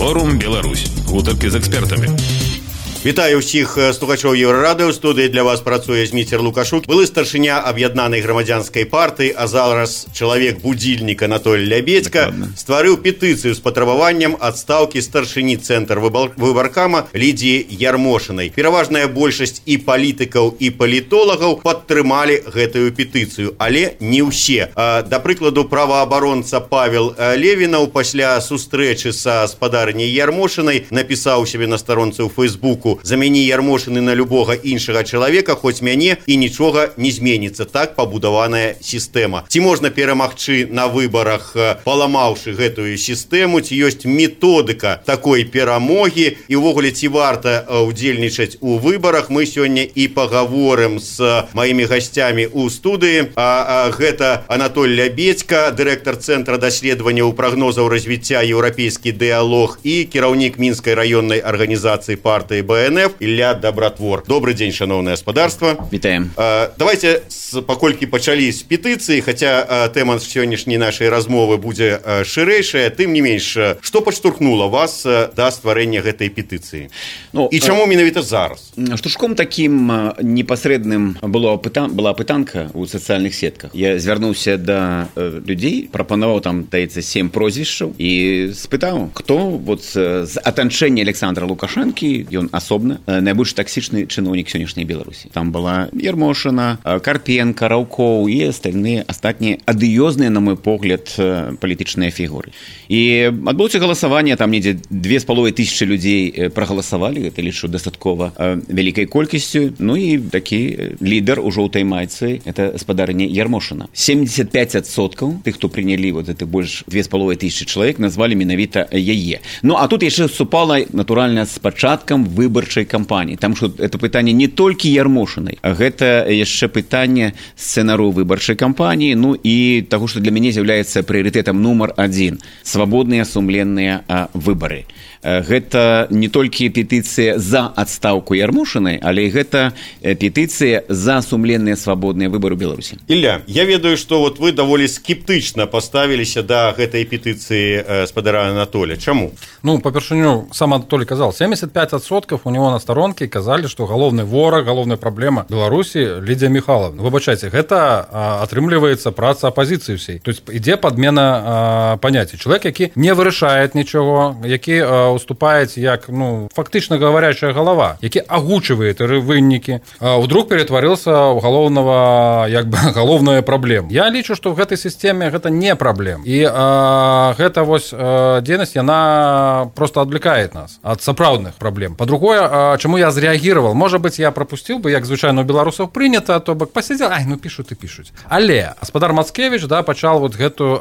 Форум Беларусь. Гутаркі з экспертамі. Вітаю ўсіх слухачоў Еўрарадыё. У студыі для вас працуе Зміцер Лукашук, былы старшыня аб'яднанай грамадзянскай партыі, а зараз чалавек будзільніка Анатоль Лябедзька стварыў петыцыю з патрабаваннем адстаўкі старшыні цэнтр выбаркама Лідзіі Ярмошынай. Пераважная большасць і палітыкаў, і палітолагаў падтрымалі гэтую петыцыю, але не ўсе. Да прыкладу, праваабаронца Павел Левінаў пасля сустрэчы са спадарняй Ярмошынай напісаў сябе на старонцы ў Фейсбуку: «Замяні Ярмошыны на любога іншага чалавека, хоць мяне, і нічога не зменіцца. Так пабудаваная сістэма». Ці можна перамагчы на выбарах, паламаўшы гэтую сістэму? Ці ёсць методыка такой перамогі? І ўвогуле, ці варта удзельнічаць у выбарах? Мы сёння і пагаворым з маімі гасцямі ў студыі. Гэта Анатоль Лябедзька, дырэктар Цэнтра даследаванняў прагнозаў развіцця «Еўрапейскі дыялог» і кіраўнік Мінскай раённай арганізацыі партыі БНФ Ілля Дабратвор. Добрый дзень, шановное господарство. Вітаем. Давайте, паколькі пачалі з петыцыі, хаця тэма сённяшняй нашай размовы будзе шырэйшая, тым не менш, што падштурхнула вас да стварэння гэтай петыцыі? І чаму менавіта зараз? Штуршком такім непасрэдным была пытанка ў сацыяльных сетках. Я звярнуўся да людзей, прапанаваў там, даецца, 7 прозвішчаў і спытаў, хто вот з атачэння Александра Лукашэнкі, ён асобна найбольш таксічны чыноўнік сённяшняй Беларусі. Там была Ярмошына, Карпенка, Раўкоў і астатнія адыёзныя, на мой погляд, палітычныя фігуры. І адбылося галасаванне, там недзе 2500 людзей прагаласавалі, гэта лічу дастаткова вялікай колькасцю. Ну і такі лідар у жоўтай майцы, это спадарня Ярмошына. 75% тых, хто прынялі вот это больш 2500 чалавек, назвалі менавіта яе. Ну а тут яшчэ супала натуральна з пачаткам выбарчай кампаніі. Там што это пытанне не толькі Ярмошынай, а гэта яшчэ пытанне сцэнару выбарчай кампаніі, ну і таго, што для мяне з'яўляецца прыярытэтам нумар 1 – свабодныя сумленныя выбары. Гэта не толькі петыцыя за адстаўку Ярмошынай, але гэта петыцыя за сумленныя свабодныя выбары ў Беларусі. Ілля, я ведаю, што вот вы даволі скептычна паставіліся да гэтай петыцыі спадара Анатоля. Чаму? Ну, па-першыню, сам Анатолий казал, 75% у него на сторонке казалі, што галоўны вораг, галоўная праблема Беларусі Лідзія Михайловна. Выбачайце, гэта атрымліваецца праца апозіцыі ўсей. То есть ідзе падмена паняцця. Чалавек, які не вырашае нічого, які уступает як, ну, фактично говорящая голова, які агучивает вынікі, вдруг перетворился в головного, як бы, головную проблему. Я лічу, что в этой системе это не проблема. И гэта вось дзейнасць, яна просто отвлекает нас от сапраўдных проблем. По-другое, чему я зреагировал? Может быть, я пропустил бы, як звычайно у беларусаў прынята, то бок посидел, ну пишут и пишут. Але гаспадар Мацкевич, да, пачал вот гэту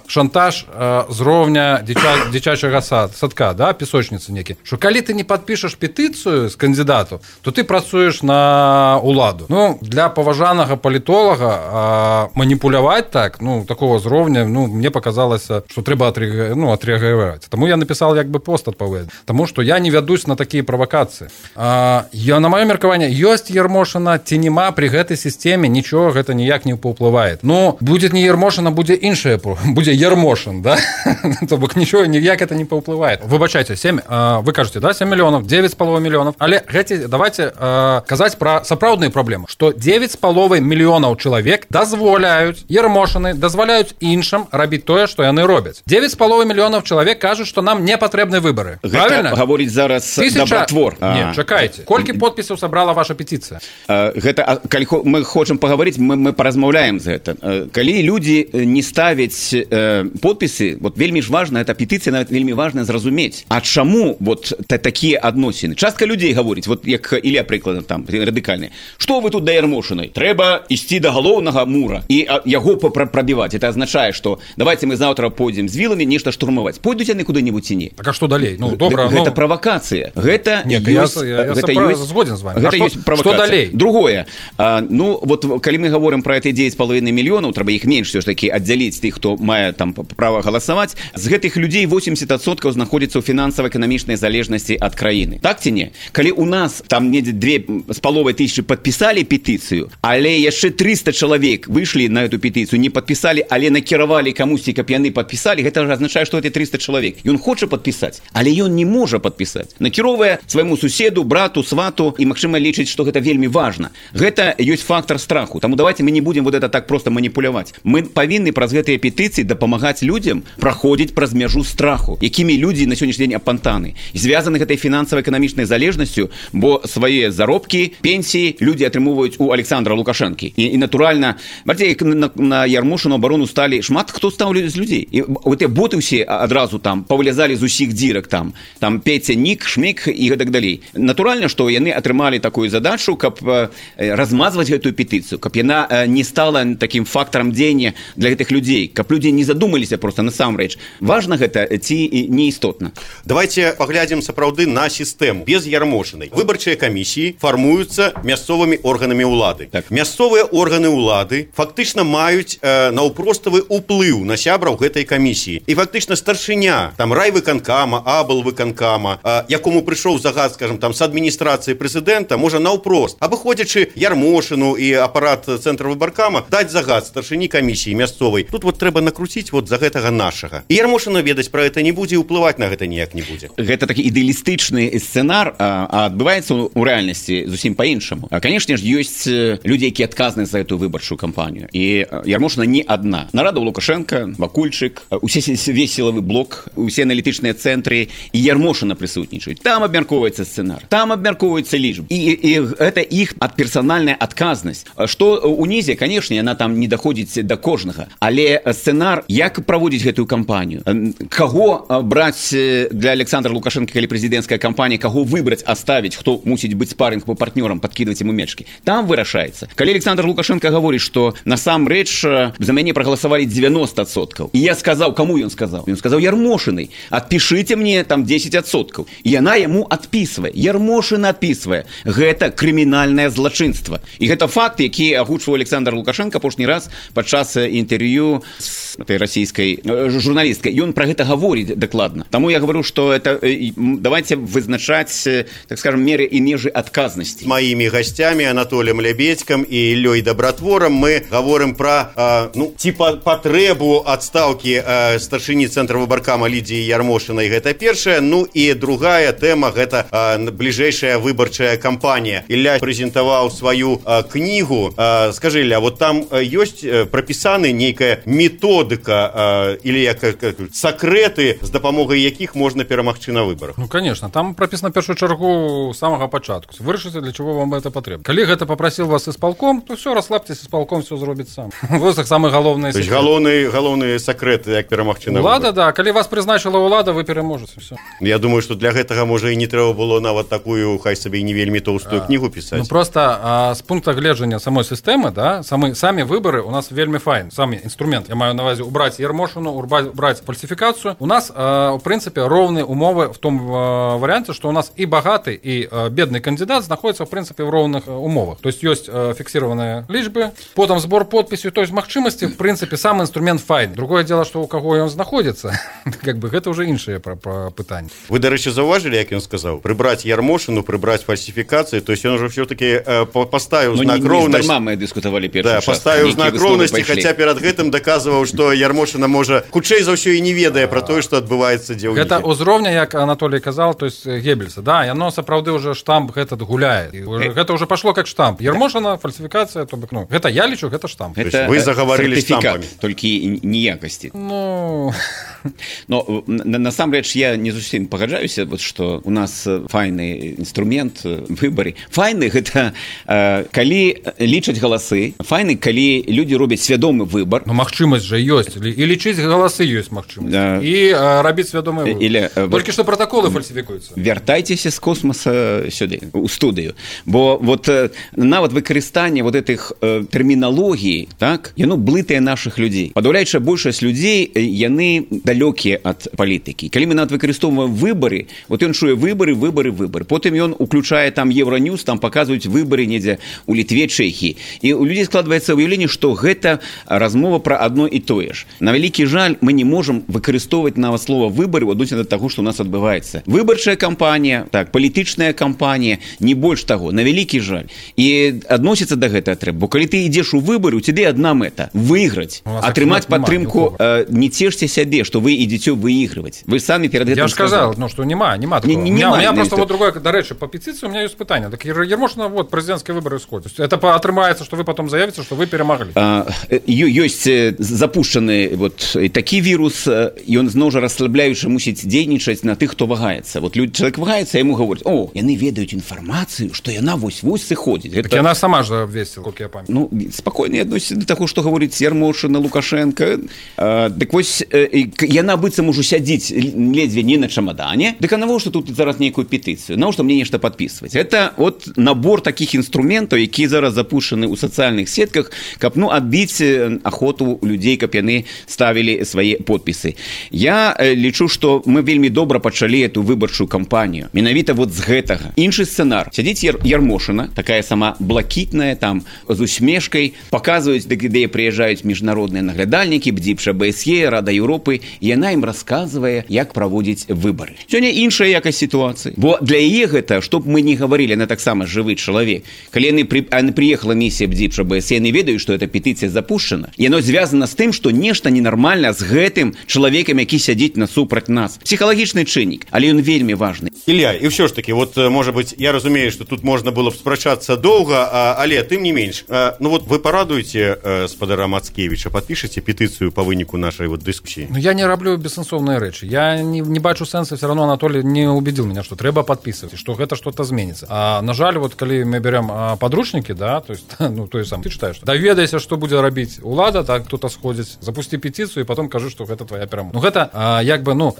шантаж з роўня дзіцячага садка, да, песочницы некі, что калі ты не подпишешь петыцыю з кандидату, то ты працуеш на уладу. Ну, для паважанага палітолага маніпуляваць так, ну, такого зроўня, ну, мне показалось, что трэба отреагировать. Тому я написал як бы пост адпаведны. Тому что я не вядусь на такие провокации. На маё меркаванне, ёсць Ярмошына ці нема при гэтай системе, нічого гэта ніяк не паўплывае. Ну, будет не Ярмошына, будзе іншае, будзе Ярмошын, да? То бок нічого ніяк это не паўплывае. Выбачайце, 7, вы кажете, да, 7 миллионов, 9,5 миллионов. Але давайте казаць про сапраўдныя праблемы, что 9,5 миллионов человек дазволяюць Ярмошыны, дазваляюць іншым рабіць тое, што яны робяць. 9,5 миллионов человек кажуць, что нам не патрэбны выборы. Правильно? Гаворыць зараз Дабратвор. Не, чакайце. Колькі подпісаў сабрала ваша петыцыя? Гэта, калі мы хочам паговорыць, мы паразмаўляем за гэта. Калі людзі не ставяць подпісы, вот вельмі ж важна, эта петыцыя нават вельмі важна зразумець, а чаму вот такія адносіны. Частка людзей гаворыць, вот як Ілля прыкладам там радыкальны, што вы тут да Ярмошынай? Трэба ісці да галоўнага мура і яго прабіваць. Это азначае, што давайте мы заўтра пойдзем з віламі нешта штурмаваць. Пойдуць яны куды-небудзь ці не? Так а што далей? Ну, добра, гэта правакацыя. Гэта я згоден з вами. Што далей? Другое. Ну, вот калі мы говорим про эти 9,5 мільёнаў, трэба іх менш все ж таки аддзяліць тых, хто мае там права галасаваць. З гэтых людзей 80% знаходзіцца ў фінансава-эканамічнай залежнасці ад краіны. Так ці не? Калі у нас там недзе 2,5 падпісалі петыцыю, але яшчэ 300 чалавек выйшлі на эту петыцыю, не падпісалі, але накіравалі камусьці, каб яны падпісалі, гэта ж азначае, што это 300 чалавек. Ён хоча падпісаць, але ён не можа падпісаць. Накіроўвае свайму суседу, брату, свату і, магчыма, лічыць, што гэта вельмі важна. Гэта ёсць фактор страху. Таму давайте мы не будем вот это так просто маніпуляваць. Мы павінны праз гэтыя петыцыі дапамагаць людзям праходзіць праз мяжу страху, якімі людзі на сённяшні дзень апантаны. Звязаны гэтай фінансава-эканамічнай залежнасцю, бо свае заробкі, пенсіі людзі атрымоўваюць у Александра Лукашэнкі. І натуральна, бачыце, як на Ярмошыну абарону сталі шмат хто стаў з людзей. І гэтыя боты ўсе адразу там павылязалі з усіх дзірак там Петя, Нік, Шмік і гэтак далей. Натуральна, што яны атрымалі такую задачу, каб размазваць гэтую петыцыю, каб яна не стала таким фактарам дзеяння для гэтых людзей, каб людзі не задумаліся просто насамрэч. Важна гэта ці неістотна. Давайте паглядзім сапраўды на сістэму. Без Ярмошынай выбарчыя камісіі фармуюцца мясцовымі органамі ўлады. Так. Мясцовыя органы ўлады фактычна маюць наўпроставы ўплыў на сябраў гэтай камісіі. І фактычна старшыня там райвыканкама, аблвыканкама, якому прыйшоў загад, скажем, там з адміністрацыі прэзідэнта, можа наўпрост, абыходзячы Ярмошыну і апарат цэнтра выбаркама, даць загад старшыні камісіі мясцовай. Тут вот трэба накруціць вот за гэтага нашага. І Ярмошына ведаць пра гэта не будзе, ўплываць на гэта ніяк не будзе. Гэта такі ідэалістычны сцэнар, а адбываецца ў рэальнасці зусім па-іншаму. Канешне ж, ёсць людзі, якія адказныя за эту выбарчую кампанію. І Ярмошына не адна. Нарада Лукашенка, Вакульчык, усе весь сілавы блок, усе аналітычныя цэнтры і Ярмошына прысутнічаюць. Там абмяркоўваецца сцэнар, там абмяркоўваюцца лічбы. І гэта іх персанальная адказнасць. Што унізе, канешне, яна там не даходзіць да кожнага. Але сцэнар, як праводзіць гэтую кампанію, каго браць для Александра Лукашенко, калі прэзідэнцкая кампанія, каго выбраць, аставіць, хто мусіць быць спарринг по партнёрам, падкідваць яму мячкі. Там вырашаецца. Калі Александр Лукашенко гаворыць, што насамрэч за мяне прагаласавалі 90%. І я сказаў, каму ён сказаў? Ён сказаў Ярмошынай: адпішыце мне там 10%. І яна яму адпісвае. Ярмошына адпісвае. Гэта крымінальнае злачынства. І гэта факт, які агучваў Александр Лукашенко апошні раз падчас інтэрв'ю з этой расійскай журналісткай. Ён пра гэта гаворыць дакладна. Таму я говорю, што это давайте вызначаць, так скажем, меры і межы адказнасці. З маімі гасцямі Анатоліем Лябедзькам і Іллёй Дабратворам мы гаворым пра патрэбу адстаўкі старшыні цэнтра выбаркама Лідзіі Ярмошынай. Гэта першая. Ну і другая тэма — гэта бліжэйшая выбарчая кампанія. Ілля прэзентаваў сваю кнігу. Скажы, Ілля, вот там ёсць прапісаны нейкая методыка или сакрэты, з дапамогай якіх можна перамагчы на выбарах? Ну, конечно. Там прописано в першую чергу с самого початку. Вырашыце, для чего вам это потребно. Калі гэта попросил вас исполком, то все, расслабьтесь, исполком все зробіць сам. Вот самый головный секрет. То есть галоўны сакрэт, як перамагчы на выбарах. Улада, да. Калі вас прызначила улада, вы пераможаце. Все. Я думаю, что для гэтага, можа, і не трэба было нават такую, хай сабе і не вельмі тоўстую кнігу пісаць. Ну, просто з пункта гледжання самой сістэмы, да, самі выборы у нас вельмі файн. Самі інструмент. Я маю на увазі убрать Ярмошину, убрать фальсификацию. У нас, в принципе, ровные умовы в том варианте, что у нас и богатый, и бедный кандидат находятся, в принципе, в ровных умовах. То есть есть фиксированные лічбы, потом сбор подписей, то есть магчимости, в принципе, сам инструмент файн. Другое дело, что у кого он находится, как бы, это уже іншае пытанне. Вы, до речі, зауважили, як ён сказав? Прибрать Ярмошину, прибрать фальсификации, то есть он уже все-таки поставил знак роўнасці. Не здарма мы дискутовали першы час. Да, поставил знак роўнасці, хотя перед гэтым доказывал, что Ярмошина, можа, хутчэй за ўсё і не ведае про тое, што адбываецца дзе ў іх. Гэта узроўня, як Анатолий казал, то есть Геббельса, да, яно сапраўды уже штамп этот гуляет. Гэта уже пошло как штамп. Ярмошина, фальсификация, то бок, ну, гэта я лічу, гэта штамп. Вы заговорили штампами. Толькі неякасці. Ну... Но насамрэч я не зусім пагаджаюся, вот, што у нас файны інструмент выбары. Файны гэта калі лічаць галасы, файны, калі людзі робяць свядомы выбар. Ну, магчымасць жа ёсць, і лічыць галасы ёсць магчымасць. І рабіць свядомы выбар. Толькі што пратаколы фальсіфікуюцца. Вяртайцеся з космоса сюды, у студыю. Бо вот нават выкарыстанне вот этих тэрміналогій, так, яно блытае нашых людзей. Падаўляючая большасць людзей, яны далёкія ад палітыкі. Калі мы нават выкарыстоўваем выбары, вот ён чуе агучвае выбары. Потым ён уключае там Евроньюз, там паказваюць выбары недзе у Літве, Чэхіі. І у людзей складваецца ўяўленне, што гэта размова пра адно і тое ж. На вялікі жаль, мы не можам выкарыстоўваць нават слова выбары ў адносіне да таго, што ў нас адбываецца. Выбарчая кампанія, так, палітычная кампанія, не больш таго, на вялікі жаль. І адносіцца да гэтага трэба. Бо калі ты ідзеш у выбары, у цябе адна мэта выйграць, атрымаць падтрымку. Не цешце сябе, што вы ідзеце выйгрываць. Вы самі перад гэтым сказали. Я ж сказал, что нема такого. У меня просто вот другое, до речи, по петиции у меня есть питание. Так Ермошина, вот, президентские выборы исходят. Это отрымается, что вы потом заявите, что вы перемогли. Ёсць запущены вот такі вірус, ён зноў жа расслабляючы мусіць дзейнічаць на тых, хто вагаецца. Вот чалавек вагаецца, яму гавораць: "О, яны ведаюць інфармацыю, што яна вось-вось сыходзіць". Так яна сама ж абвесціла, як я памятаю. Ну, спакойна адносіцца да таго, што гаворыць Ермошина, Лукашенко. Дык вось яна быццам ужо сядзіць ледзьве не на чамадане. Дык а навошта тут зараз нейкую петыцыю? Навошта мне нешта падпісваць? Это от набор такіх інструментаў, які зараз запушаны ў сацыяльных сетках, каб адбіць ахоту людзей, каб яны ставілі свае подпісы. Я лічу, што мы вельмі добра пачалі эту выбарчую кампанію. Менавіта вот з гэтага. Іншы сцэнар. Сядзіць Ермошина, такая сама блакітная, там з усмешкай, паказваюць, де прыязджаюць міжнародныя наглядальнікі, БДИПШ, ОБСЕ, Рада Еўропы, і яна ім расказвае, як праводзіць выбары. Сёння іншая якасць сітуацыі. Бо для яе гэта, што б мы не гаварылі, яна таксама жывы чалавек. Калі яны прыехала місія БДИПШ, ОБСЕ, яны ведаюць, што эта петыцыя запушчана. Яно звязана з тым, што нешта ненармальна з гэтым чалавекам, які сядзіць насупраць нас. Псіхалагічны чыннік, але ён вельмі важны. Ілля, і ўсё ж таки, вот, может быть, я разумею, што тут можна было б спрачацца доўга, але тым не менш. Ну вот вы парадуеце спадара Мацкевіча, падпішаце петыцыю па выніку нашай вот дыскусіі? Ну я не раблю бессэнсоўныя рэчы. Я не бачу сэнса, все равно Анатолий не убедил меня, что трэба подписывать, что это что-то изменится. А на жаль, вот коли мы берем подручники, да, то есть, ну, то есть сам ты читаешь, даведайся, что будет робить улада, так кто-то сходит, запусти петицию и потом кажи, что это твоя перемога. Ну, это, як бы, ну,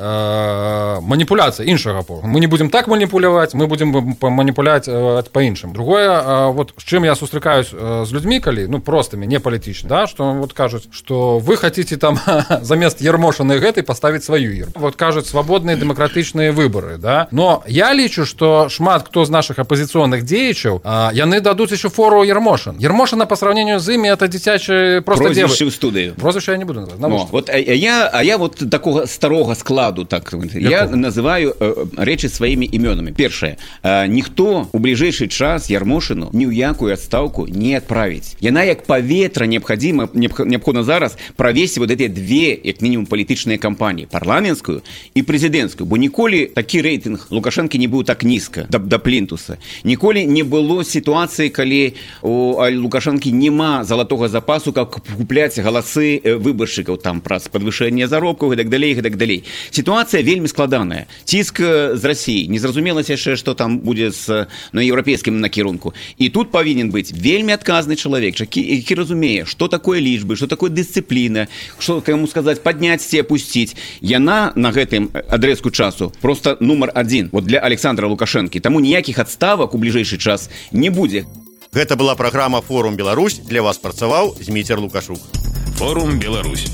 манипуляция іншага поля. Мы не будем так манипулировать, мы будем манипулировать по-іншым. Другое, вот с чем я сустракаюсь с людьми, коли, ну, простыми, не политично, да, что вот кажут, что вы хотите там замест Ермошина и гэтай поставить свою Ерму. Вот кажут, свободные демократичные выборы, да. Но я лічу, что шмат кто з наших оппозиционных деячаў, яны дадуць еще фору Ермошин. Ермошина по сравнению с ими это дзіцячы просто девы. Прозвище ў студыю. Прозвище я не буду называть. Вот, я вот такого старого складу, так, я называю речи своими именами. Першае. Ніхто у ближайший час Ермошину ні ў якую адстаўку не адправіць. Яна як паветра неабходна зараз правесці вот эти две, як мінімум, палітычныя кампаніі. Парламенцкую і прэзідэнцкую. Бо ніколі такі рэйтынг Лукашэнкі не быў так нізка, да плінтуса. Ніколі не было сітуацыі, калі у Лукашэнкі няма залатога запасу, каб купляць галасы выбаршчыкаў там праз падвышэнне заробкаў і так далей, і так далей. Сітуацыя вельмі складаная. Ціск з Расіі. Незразумела яшчэ, што там будзе на еўрапейскім накірунку. І тут павінен быць вельмі адказны чалавек, які разумее, што такое лічбы, што такое дысцыпліна, што, каму сказаць, падняць ці апусціць. Яна на гэтым адрэзку часу просто нумар 1 вот для Александра Лукашэнкі. Таму ніякіх адставак у бліжэйшы час не будзе. Гэта была праграма «Форум Беларусь». Для вас працаваў Зміцер Лукашук. «Форум Беларусь».